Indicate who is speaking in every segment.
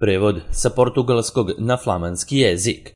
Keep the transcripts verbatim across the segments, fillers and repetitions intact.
Speaker 1: Prevod sa portugalskog na flamanski jezik.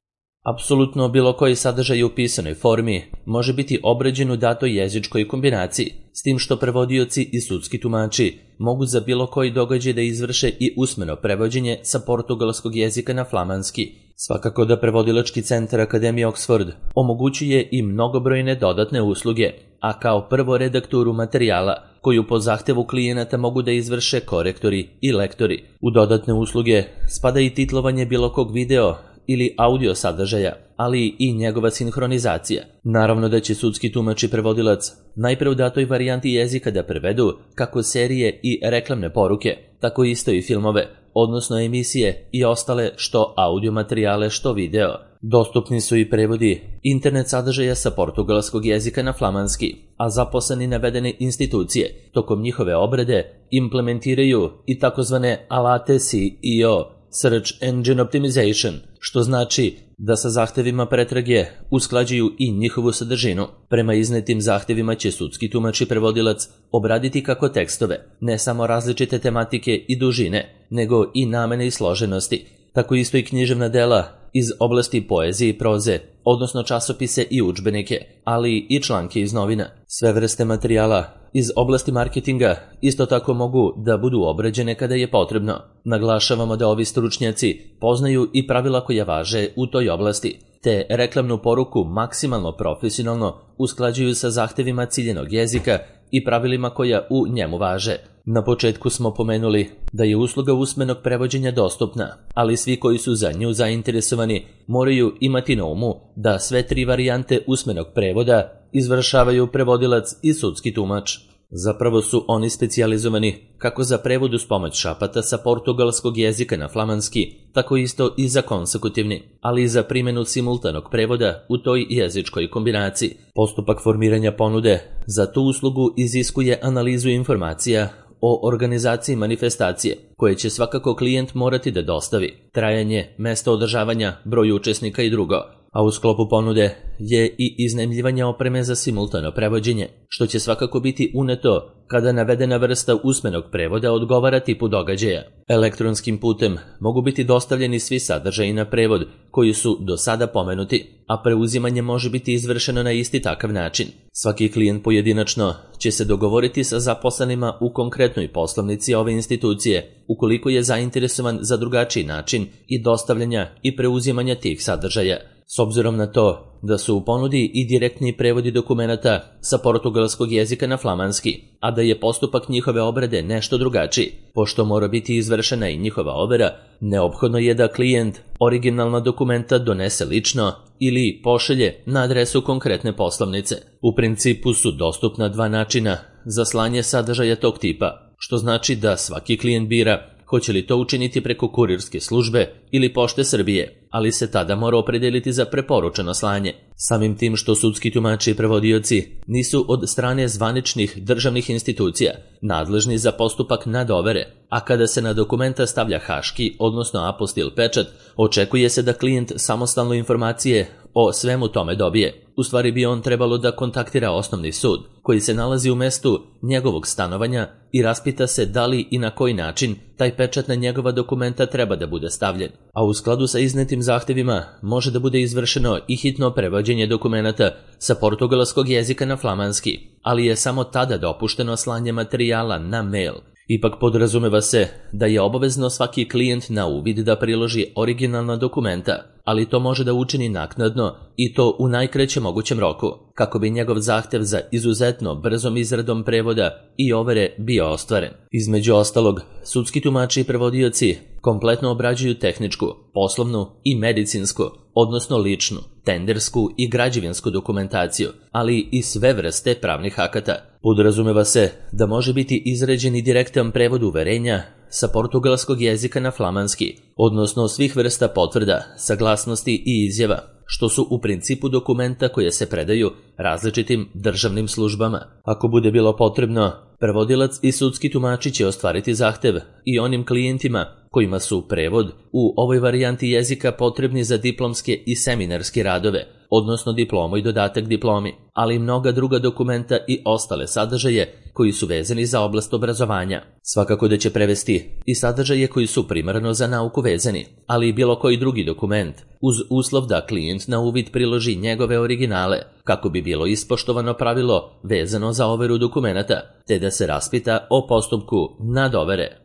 Speaker 1: Apsolutno bilo koji sadržaj u pisanoj formi može biti obrađen u datoj jezičkoj kombinaciji, s tim što prevodioci i sudski tumači mogu za bilo koji događaj da izvrše i usmeno prevođenje sa portugalskog jezika na flamanski. Svakako da prevodilački centar Akademije Oxford omogućuje i mnogobrojne dodatne usluge, a kao prvo redakturu materijala, koju po zahtevu klijenata mogu da izvrše korektori i lektori. U dodatne usluge spada i titlovanje bilo kog video ili audio sadržaja, ali i njegova sinhronizacija. Naravno da će sudski tumač i prevodilac najpre u datoj varijanti jezika da prevedu kako serije i reklamne poruke, tako isto i filmove, odnosno emisije i ostale što audio materijale, što video. Dostupni su i prevodi internet sadržaja sa portugalskog jezika na flamanski, a zaposleni navedene institucije tokom njihove obrade implementiraju i takozvane alate S E O, Search Engine Optimization, što znači da sa zahtevima pretrage usklađuju i njihovu sadržinu. Prema iznetim zahtevima će sudski tumač i prevodilac obraditi kako tekstove, ne samo različite tematike i dužine, nego i namene i složenosti, tako isto i književna dela iz oblasti poezije i proze, odnosno časopise i udžbenike, ali i članke iz novina. Sve vrste materijala iz oblasti marketinga isto tako mogu da budu obrađene kada je potrebno. Naglašavamo da ovi stručnjaci poznaju i pravila koja važe u toj oblasti, te reklamnu poruku maksimalno profesionalno usklađuju sa zahtevima ciljenog jezika i pravilima koja u njemu važe. Na početku smo pomenuli da je usluga usmenog prevođenja dostupna, ali svi koji su za nju zainteresovani moraju imati na umu da sve tri varijante usmenog prevoda izvršavaju prevodilac i sudski tumač. Zapravo su oni specijalizovani kako za prevod uz pomoć šapata sa portugalskog jezika na flamanski, tako isto i za konsekutivni, ali i za primjenu simultanog prevoda u toj jezičkoj kombinaciji. Postupak formiranja ponude za tu uslugu iziskuje analizu informacija o organizaciji manifestacije, koje će svakako klijent morati da dostavi, trajanje, mesto održavanja, broj učesnika i drugo, a u sklopu ponude je i iznajmljivanje opreme za simultano prevođenje, što će svakako biti uneto kada navedena vrsta usmenog prevoda odgovara tipu događaja. Elektronskim putem mogu biti dostavljeni svi sadržaji na prevod koji su do sada pomenuti, a preuzimanje može biti izvršeno na isti takav način. Svaki klijent pojedinačno će se dogovoriti sa zaposlenima u konkretnoj poslovnici ove institucije, ukoliko je zainteresovan za drugačiji način i dostavljanja i preuzimanja tih sadržaja. S obzirom na to da su u ponudi i direktni prevodi dokumenata sa portugalskog jezika na flamanski, a da je postupak njihove obrade nešto drugačiji, pošto mora biti izvršena i njihova overa, neophodno je da klijent originalna dokumenta donese lično ili pošalje na adresu konkretne poslovnice. U principu su dostupna dva načina za slanje sadržaja tog tipa, što znači da svaki klijent bira hoće li to učiniti preko kurirske službe ili Pošte Srbije, ali se tada mora opredeliti za preporučeno slanje. Samim tim što sudski tumači i prevodioci nisu od strane zvaničnih državnih institucija nadležni za postupak nadovere, a kada se na dokumenta stavlja haški, odnosno apostil pečat, očekuje se da klijent samostalno informacije o svemu tome dobije. U stvari bi on trebalo da kontaktira osnovni sud, koji se nalazi u mestu njegovog stanovanja i raspita se da li i na koji način taj pečat na njegova dokumenta treba da bude stavljen. A u skladu sa iznetim zahtevima može da bude izvršeno i hitno prevođenje dokumenata sa portugalskog jezika na flamanski, ali je samo tada dopušteno slanje materijala na mail. Ipak podrazumeva se da je obavezno svaki klijent na uvid da priloži originalna dokumenta, ali to može da učini naknadno i to u najkraćem mogućem roku, kako bi njegov zahtev za izuzetno brzom izradom prevoda i overe bio ostvaren. Između ostalog, sudski tumači i prevodioci kompletno obrađuju tehničku, poslovnu i medicinsku, odnosno ličnu, tendersku i građevinsku dokumentaciju, ali i sve vrste pravnih akata. Podrazumeva se da može biti izrađen i direktan prevod uverenja sa portugalskog jezika na flamanski, odnosno svih vrsta potvrda, saglasnosti i izjava, što su u principu dokumenta koje se predaju različitim državnim službama. Ako bude bilo potrebno, prevodilac i sudski tumači će ostvariti zahtev i onim klijentima kojima su prevod u ovoj varijanti jezika potrebni za diplomske i seminarske radove, odnosno diplomu i dodatak diplomi, ali i mnoga druga dokumenta i ostale sadržaje koji su vezani za oblast obrazovanja. Svakako da će prevesti i sadržaje koji su primarno za nauku vezani, ali i bilo koji drugi dokument, uz uslov da klijent na uvid priloži njegove originale, kako bi bilo ispoštovano pravilo vezano za overu dokumenata, te da se raspita o postupku nadovere.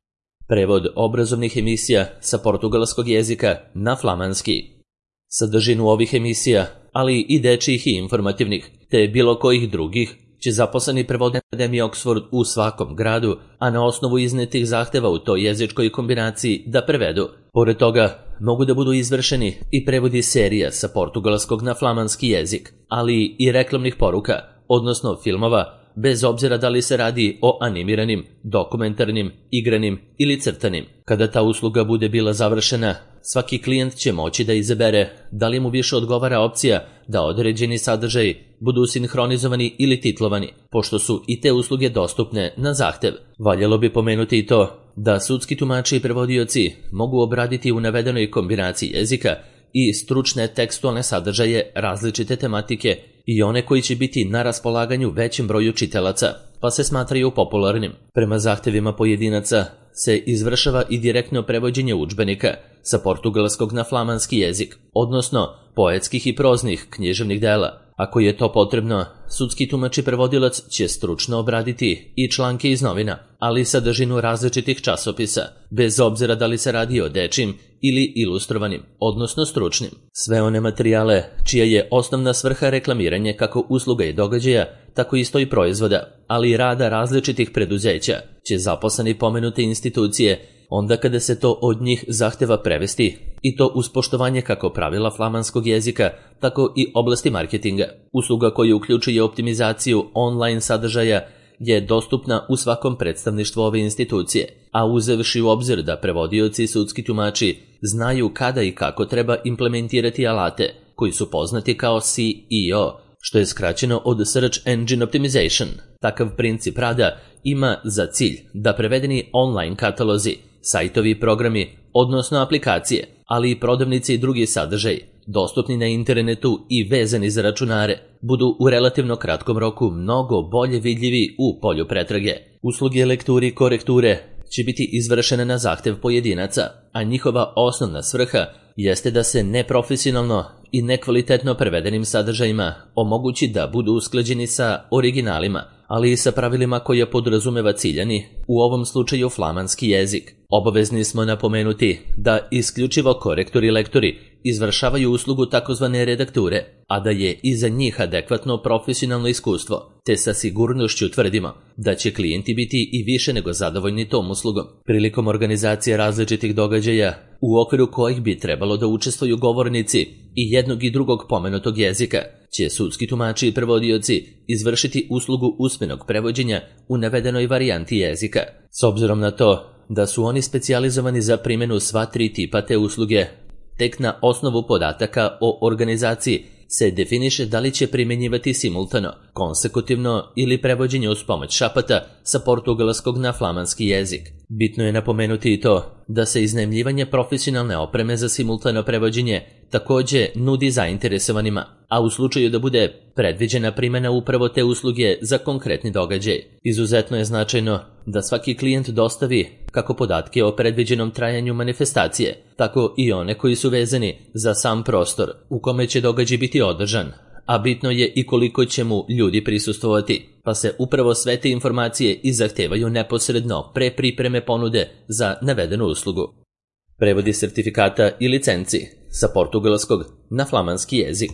Speaker 1: Prevod obrazovnih emisija sa portugalskog jezika na flamanski. Sadržinu ovih emisija, ali i dečijih i informativnih, te bilo kojih drugih, će zaposleni prevodne akademije Oxford u svakom gradu, a na osnovu iznetih zahteva u toj jezičkoj kombinaciji da prevedu. Pored toga, mogu da budu izvršeni i prevodi serija sa portugalskog na flamanski jezik, ali i reklamnih poruka, odnosno filmova, bez obzira da li se radi o animiranim, dokumentarnim, igranim ili crtanim. Kada ta usluga bude bila završena, svaki klijent će moći da izabere da li mu više odgovara opcija da određeni sadržaj budu sinhronizovani ili titlovani, pošto su i te usluge dostupne na zahtev. Valjalo bi pomenuti i to da sudski tumači i prevodioci mogu obraditi u navedenoj kombinaciji jezika i stručne tekstualne sadržaje različite tematike i one koji će biti na raspolaganju većem broju čitalaca, pa se smatraju popularnim. Prema zahtevima pojedinaca se izvršava i direktno prevođenje udžbenika sa portugalskog na flamanski jezik, odnosno poetskih i proznih književnih dela. Ako je to potrebno, sudski tumač i prevodilac će stručno obraditi i članke iz novina, ali i sadržinu različitih časopisa, bez obzira da li se radi o dečim ili ilustrovanim, odnosno stručnim. Sve one materijale čija je osnovna svrha reklamiranje kako usluga i događaja, tako isto i proizvoda, ali i rada različitih preduzeća, će zaposleni pomenute institucije onda kada se to od njih zahteva prevesti, i to uz poštovanje kako pravila flamanskog jezika, tako i oblasti marketinga. Usluga koja uključuje optimizaciju online sadržaja je dostupna u svakom predstavništvu ove institucije, a uzevši u obzir da prevodioci i sudski tumači znaju kada i kako treba implementirati alate, koji su poznati kao C E O, što je skraćeno od Search Engine Optimization. Takav princip rada ima za cilj da prevedeni online katalozi, sajtovi i programi, odnosno aplikacije, ali i prodavnice i drugi sadržaj, dostupni na internetu i vezani za računare, budu u relativno kratkom roku mnogo bolje vidljivi u polju pretrage. Usluge lekturi i korekture će biti izvršene na zahtev pojedinaca, a njihova osnovna svrha jeste da se neprofesionalno i nekvalitetno prevedenim sadržajima omogući da budu usklađeni sa originalima, ali i sa pravilima koja podrazumeva ciljani, u ovom slučaju flamanski jezik. Obavezni smo napomenuti da isključivo korektori i lektori izvršavaju uslugu takozvane redakture, a da je iza njih adekvatno profesionalno iskustvo, te sa sigurnošću tvrdimo da će klijenti biti i više nego zadovoljni tom uslugom. Prilikom organizacije različitih događaja, u okviru kojih bi trebalo da učestvuju govornici i jednog i drugog pomenutog jezika, će sudski tumači i prevodioci izvršiti uslugu usmenog prevođenja u navedenoj varijanti jezika. S obzirom na to da su oni specijalizovani za primjenu sva tri tipa te usluge, tek na osnovu podataka o organizaciji se definiše da li će primjenjivati simultano, konsekutivno ili prevođenje uz pomoć šapata sa portugalskog na flamanski jezik. Bitno je napomenuti i to da se iznajmljivanje profesionalne opreme za simultano prevođenje takođe nudi zainteresovanima, a u slučaju da bude predviđena primjena upravo te usluge za konkretni događaj. Izuzetno je značajno da svaki klijent dostavi kako podatke o predviđenom trajanju manifestacije, tako i one koji su vezani za sam prostor u kome će događaj biti održan, a bitno je i koliko će mu ljudi prisustvovati, pa se upravo sve te informacije i zahtevaju neposredno pre pripreme ponude za navedenu uslugu. Prevodi sertifikata i licenci sa portugalskog na flamanski jezik.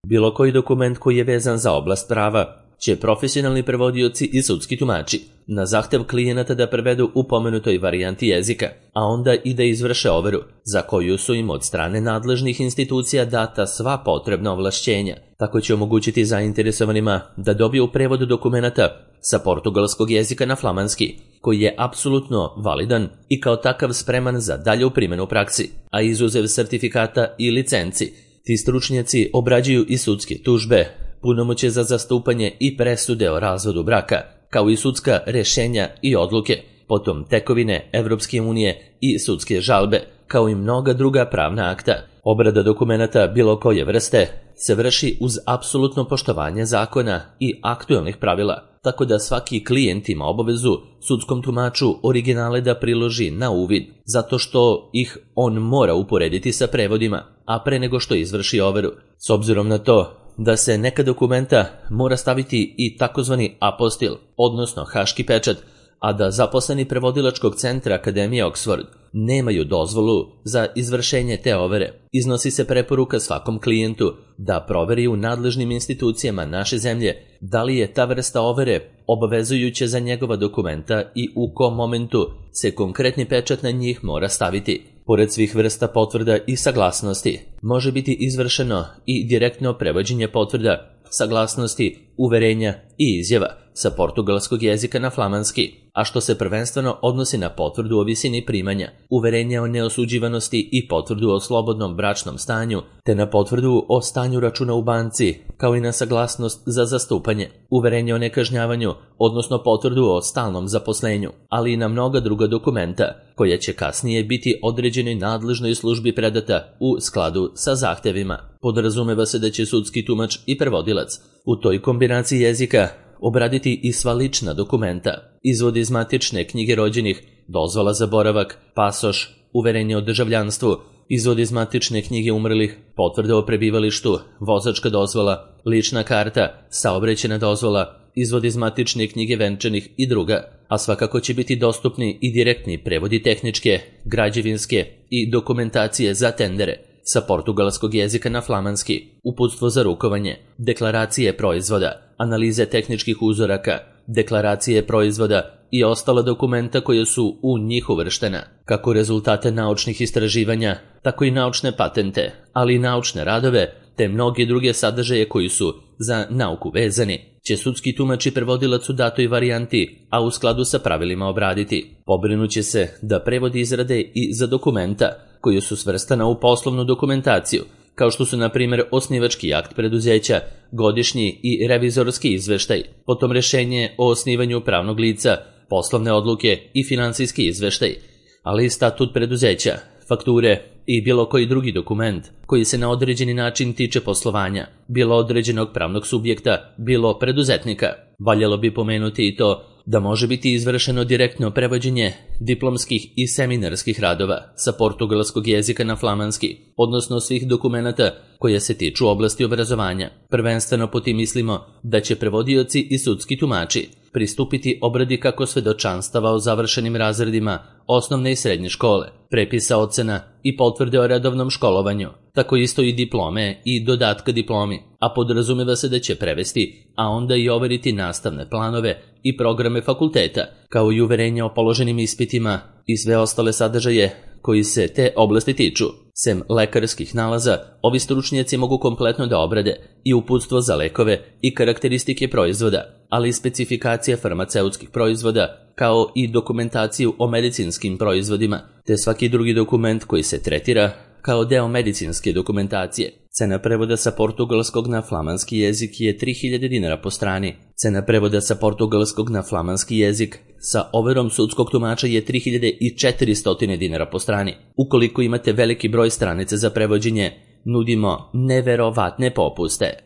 Speaker 1: Bilo koji dokument koji je vezan za oblast prava će profesionalni prevodioci i sudski tumači na zahtev klijenata da prevedu u pomenutoj varijanti jezika, a onda i da izvrše overu, za koju su im od strane nadležnih institucija data sva potrebna ovlašćenja. Tako će omogućiti zainteresovanima da dobiju prevod dokumenata sa portugalskog jezika na flamanski, koji je apsolutno validan i kao takav spreman za dalju primjenu u praksi, a izuzev sertifikata i licenci, ti stručnjaci obrađuju i sudske tužbe, punomoćje za zastupanje i presude o razvodu braka, kao i sudska rešenja i odluke, potom tekovine Evropske unije i sudske žalbe, kao i mnoga druga pravna akta. Obrada dokumenata bilo koje vrste se vrši uz apsolutno poštovanje zakona i aktuelnih pravila, tako da svaki klijent ima obavezu sudskom tumaču originale da priloži na uvid, zato što ih on mora uporediti sa prevodima, a pre nego što izvrši overu. S obzirom na to da se neka dokumenta mora staviti i takozvani apostil, odnosno haški pečat, a da zaposleni prevodilačkog centra Akademije Oxford nemaju dozvolu za izvršenje te overe, iznosi se preporuka svakom klijentu da proveri u nadležnim institucijama naše zemlje da li je ta vrsta overe obavezujuća za njegova dokumenta i u kom momentu se konkretni pečat na njih mora staviti. Pored svih vrsta potvrda i saglasnosti, može biti izvršeno i direktno prevođenje potvrda, saglasnosti, uverenja i izjava sa portugalskog jezika na flamanski, a što se prvenstveno odnosi na potvrdu o visini primanja, uverenja o neosuđivanosti i potvrdu o slobodnom bračnom stanju, te na potvrdu o stanju računa u banci, kao i na saglasnost za zastupanje, uverenje o nekažnjavanju, odnosno potvrdu o stalnom zaposlenju, ali i na mnoga druga dokumenta, koja će kasnije biti određenoj nadležnoj službi predata u skladu sa zahtevima. Podrazumeva se da će sudski tumač i prevodilac u toj kombinaciji jezika obraditi i sva lična dokumenta, izvod iz matične knjige rođenih, dozvola za boravak, pasoš, uverenje o državljanstvu, izvod iz matične knjige umrlih, potvrda o prebivalištu, vozačka dozvola, lična karta, saobraćajna dozvola, izvod iz matične knjige venčanih i druga, a svakako će biti dostupni i direktni prevodi tehničke, građevinske i dokumentacije za tendere sa portugalskog jezika na flamanski, uputstvo za rukovanje, deklaracije proizvoda, analize tehničkih uzoraka, deklaracije proizvoda i ostala dokumenta koje su u njih uvrštena, kako rezultate naučnih istraživanja, tako i naučne patente, ali i naučne radove, te mnoge druge sadržaje koji su za nauku vezani, će sudski tumač i prevodilac u datoj varijanti, a u skladu sa pravilima obraditi. Pobrinuće se da prevodi izrade i za dokumenta koji su svrstana u poslovnu dokumentaciju, kao što su na primjer osnivački akt preduzeća, godišnji i revizorski izveštaj, potom rešenje o osnivanju pravnog lica, poslovne odluke i finansijski izveštaj, ali i statut preduzeća, fakture i bilo koji drugi dokument koji se na određeni način tiče poslovanja, bilo određenog pravnog subjekta, bilo preduzetnika. Valjalo bi pomenuti i to da može biti izvršeno direktno prevođenje diplomskih i seminarskih radova sa portugalskog jezika na flamanski, odnosno svih dokumenata koje se tiču oblasti obrazovanja. Prvenstveno po tim mislimo da će prevodioci i sudski tumači pristupiti obradi kako svedočanstava o završenim razredima osnovne i srednje škole, prepisa ocena i potvrde o redovnom školovanju, tako isto i diplome i dodatka diplomi, a podrazumeva se da će prevesti, a onda i overiti nastavne planove i programe fakulteta, kao i uverenja o položenim ispitima i sve ostale sadržaje koji se te oblasti tiču. Sem lekarskih nalaza, ovi stručnjaci mogu kompletno da obrade i uputstvo za lekove i karakteristike proizvoda, ali i specifikacije farmaceutskih proizvoda, kao i dokumentaciju o medicinskim proizvodima, te svaki drugi dokument koji se tretira kao deo medicinske dokumentacije. Cena prevoda sa portugalskog na flamanski jezik je tri hiljade dinara po strani. Cena prevoda sa portugalskog na flamanski jezik sa overom sudskog tumača je tri hiljade četiristo dinara po strani. Ukoliko imate veliki broj stranica za prevođenje, nudimo neverovatne popuste.